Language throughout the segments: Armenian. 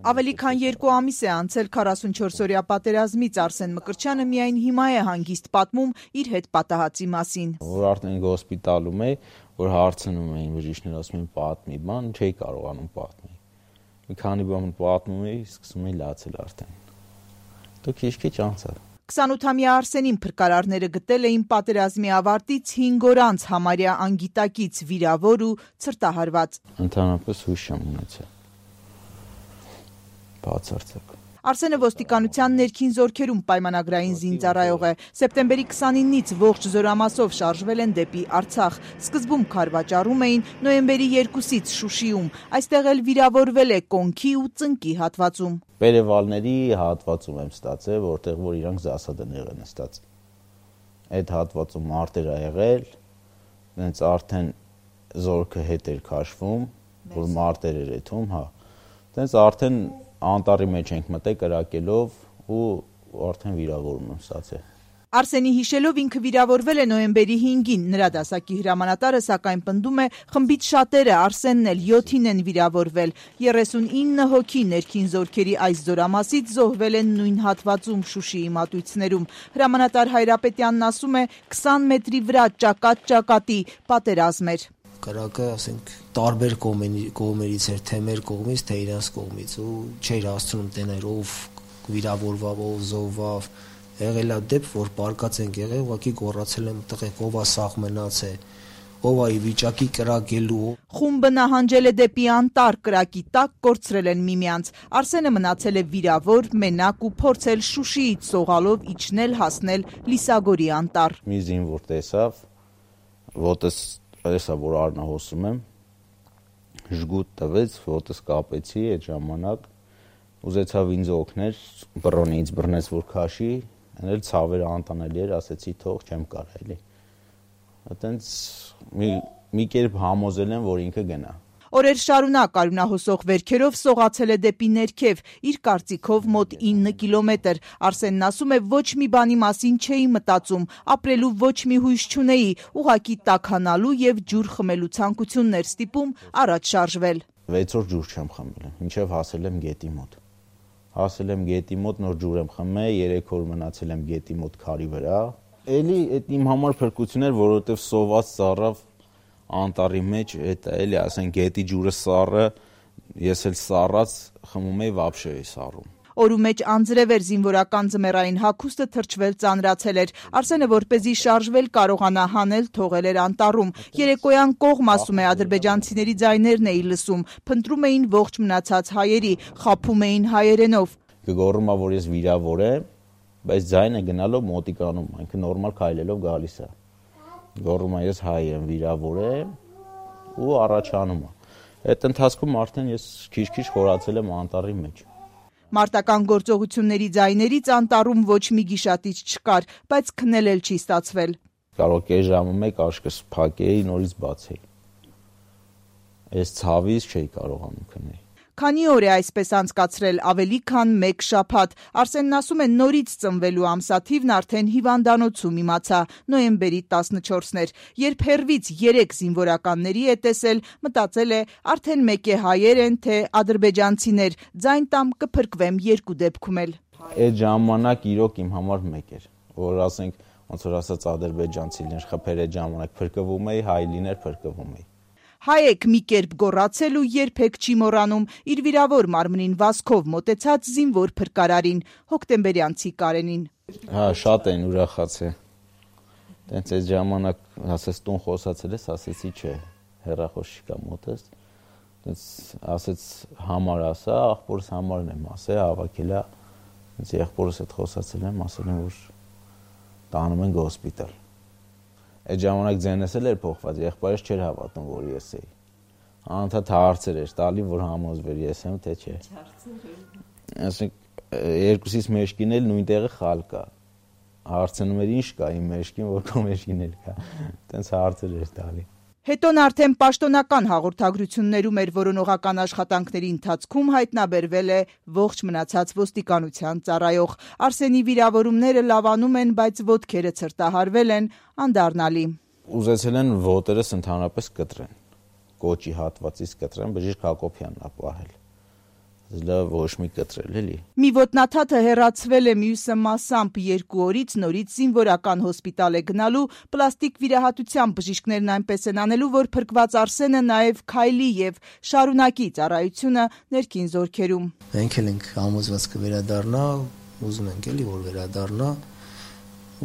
Ավելի քան 2 ամիս է անցել 44-օրյա պատերազմից, Արսեն Մկրտչյանը միայն հիմա է հանգիստ պատմում իր հետ պատահածի մասին։ Որ արդեն հոսպիտալում էի, որ հարցնում էին բժիշկները, ասում էին պատմի, բան չէի կարողանում պատմի։ Մի քանի բան պատմում էի, սկսում էի լացել արդեն։ Դու քիչ անցավ։ 28-ամյա Արսենին փրկարարները գտել էին պատերազմի ավարտից 5 օր անց համարյա անգիտակից վիրավոր ու ցրտահարված։ Ընդհանրապես հույս չեմ ունեցել։ Բացարձակ։ Արսենը ոստիկանության ներքին զորքերում պայմանագրային զինծառայող է։ Սեպտեմբերի 29-ից ողջ զորամասով շարժվել են դեպի Արցախ։ Սկզբում քարվաճառում էին, նոյեմբերի 2-ից Շուշիում։ Այստեղ էլ վիրավորվել է կոնքի ու ծնկի հատվածում։ Պերևալների հատվածում եմ ստացել, որտեղ որ իրանք զասադներ են նստած։ Այդ հատվածում մարտեր ա եղել, դենց արդեն զորքը հետ էր քաշվում, որ մարտեր էր եթում, հա։ Դենց արդեն անտառի մեջ ենք մտել կրակելով ու արդեն վիրավորում եմ ստացել։ Արսենի հիշելով ինքը վիրավորվել է նոյեմբերի 5-ին, նրա դասակի հրամանատարը սակայն պնդում է խմբից շատերը, Արսենն էլ 7-ին են վիրավորվել, 39 հոգի ներքին զորքերի այս զորամասից զոհվել են նույն հատվածում Շուշիի մատույցներում։ Հրամանատար Հայրապետյանն ասում է 20 մետրի վրա ճակատ-ճակատի պատերազմ էր։ Կրակը, ասենք, տարբեր կողմերից էր, թե մեր կողմից, թե իրանց կողմից ու չէր հասցնում տեներ ով վիրավորվավ, ով զոհվավ։ Եղել է դեպք, որ պարկած ենք եղել, ուղղակի գոռացել եմ տղեկ, ով է սաղ մնացել, ով է վիճակի կրակելու։ Խումբը նահանջել է դեպի անտառ, կրակի տակ կորցրել են միմյանց։ Արսենը մնացել է վիրավոր, մենակ ու փորձել Շուշիից սողալով իջնել հասնել Լիսագորի անտառ։ Մի զինվոր տեսավ, ոտս տեսա, որ արնահոսում եմ, ժգուտ տվեց, ոտս կապեցի այդ ժամանակ, ուզեցավ ինձ օգներ, բռոնից բռնեց, որ քաշի, էլ ցավերը անտանելի էր, ասեցի թող չեմ կարող էլի։ Այդտենց մի կերպ համոզել եմ, որ ինքը գնա։ Օրեր շարունակ արյունահոսող վերքերով սողացել է դեպի ներքև, իր կարծիքով մոտ 9 կիլոմետր։ Արսենն ասում է, ոչ մի բանի մասին չէի մտածում, ապրելու ոչ մի հույս չունեի, ուղղակի տաքանալու եւ ջուր խմելու ցանկություններ ստիպում առաջ շարժվել։ 6 օր ջուր չեմ խմել, մինչև հասել եմ գետի մոտ։ Հասել եմ գետի մոտ, նոր ջուր եմ խմել, 3 օր մնացել եմ գետի մոտ քարի վրա։ Էլի այդ իմ համար փրկություն էր, որովհետեւ սոված ծառավ անտառի մեջ, այդ էլի ասենք գետի ջուրը սառը, ես էլ սառած խմում էի վաբշե էի սառում։ Օրու մեջ անձրև էր, զինվորական ձմեռային հագուստը թրջվել ծանրացել էր։ Արսենը որպեսզի շարժվել կարողանա հանել, թողել էր անտառում։ Երեկոյան կողմ, ասում է, ադրբեջանցիների ձայներն էի լսում, փնտրում էին ողջ մնացած հայերի, խաբում էին հայերենով։ Գոռում ա, որ ես վիրավոր եմ, բայց ձայնը գնալով մոտիկանում, այնքը նորմալ քայլելով գալիս է։ Գոռում ես հայ եմ, վիրավոր եմ ու առաջանում է։ Այդ ընթացքում արդեն ես քիչ-քիչ խորացել եմ անտառի մեջ։ Մարտական գործողությունների ձայներից անտառում ոչ մի գիշատիչ չկար, բայց քնել էլ չի ստացվել։ Կարող կես ժամը մեկ աշկս փակեի, նորից բացեի։ Այս ցավից չէի կարողանում քնել։ Քանի օր է այսպես անցկացրել, ավելի քան 1 շաբաթ։ Արսենն ասում է, նորից ծնվելու ամսաթիվն արդեն հիվանդանոցում իմացա, նոյեմբերի 14-ն էր։ Երբ հեռվից 3 զինվորականների է տեսել, մտածել է, արդեն մեկ է հայեր են, թե ադրբեջանցիներ, ձայն տամ կփրկվեմ երկու դեպքում էլ։ Այդ ժամանակ իրոք իմ համար մեկ էր, որ ասենք, ոնց որ ասած ադրբեջանցիներ խփեր այդ ժամանակ փրկվում էի, հայ լիներ փրկվում էի։ Հայեք մի կերպ գոռացել ու երբեք չի մոռանում իր վիրավոր մարմնին վազքով մոտեցած զինվոր փրկարարին, հոկտեմբերյանցի Կարենին։ Հա, շատ են ուրախացել։ Տենց այդ ժամանակ ասես տուն խոսացել ես, ասեցի չէ, հեռախոս չկա մոտս։ Տենց ասեց համար ասա, աղբորս համարն եմ ասել, հավաքելա։ Տենց եղբորս հետ խոսացել եմ, ասել եմ, որ տանում են հոսպիտալ։ Այդ ժամանակ ձենս էլ էր փոխված, եղբայրս չէր հավատում, որ ես էի։ Անընդհատ հարցեր էր տալի, որ համոզվեր ես եմ, թե չէ։ Ասենք երկուսից մեջքին էլ նույն տեղը խալ կա։ Հարցնում էր ինչ կա իմ մեջքին, որ քո մեջքին էլ կա։ Տենց հարցեր էր տալի։ Հետոն արդեն պաշտոնական հաղորդագրություններում էր որոնողական աշխատանքների ընթացքում հայտնաբերվել է ողջ մնացած ոստիկանության ծառայող։ Արսենի վիրավորումները լավանում են, բայց ոտքերը ցրտահարվել են, անդառնալի։ Ուզեցել են ոտերս ընդհանրապես կտրեն, կոճի հատվածից կտրեն, բժիշկ Հակոբյանն ա պահել։ լավ ոչ մի կտրել էլի։ Մի ոտնաթաթը հեռացվել է, մյուսը մասամբ 2 օրից նորից զինվորական հոսպիտալ է գնալու, պլաստիկ վիրահատության բժիշկներն այնպես են անելու, որ փրկված Արսենը նաև քայլի եւ շարունակի ծառայությունը ներքին զորքերում։ Մենք էլ ենք համոզված կվերադառնա, ուզում ենք էլի որ վերադառնա,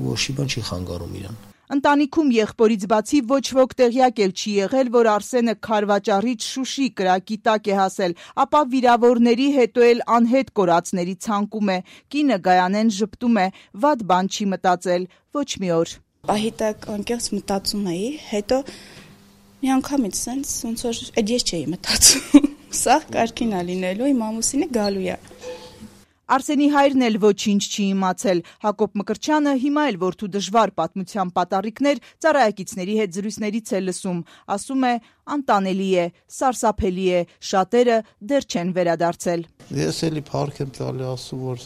ոչ մի բան չի խանգարում իրան։ Ընտանիքում եղբորից բացի ոչ ոք տեղյակ էլ չի եղել, որ Արսենը Քարվաճառից Շուշի կրակի տակ է հասել, ապա վիրավորների հետո էլ անհետ կորածների ցանկում է։ Կինը Գայանեն ժպտում է, վատ բան չի մտածել ոչ մի օր։ Պահի տակ անկեղծ մտածում էի, հետո մի անգամից sense ոնց որ այդ ես չէի մտածում։ Սա կարգին է լինելու, իմ ամուսինը գալու է։ Արսենի հայրն էլ ոչինչ չի իմացել։ Հակոբ Մկրտչյանը հիմա էլ որդու դժվար պատմության պատառիկներ ծառայակիցների հետ զրույցներից է լսում։ Ասում է, անտանելի է, սարսափելի է, շատերը դեռ չեն վերադարձել։ Ես էլի փառք եմ տալի, ասում որ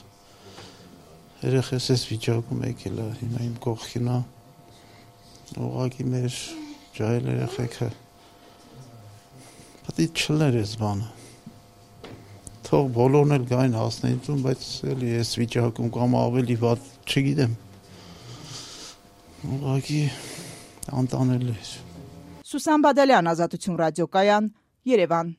երեխես էս վիճակում եկել է, հիմա իմ կողքին է։ Ուղղակի մեր ջահել երեխեքը պետք է չլներ էս բանը։ Թող բոլորն էլ գային հասնեին, բայց էլի ես վիճակում կամ ավելի վատ չգիտեմ։ Ուղղակի անտանելի է։ Սուսան Բադալյան, Ազատություն ռադիոկայան, Երևան։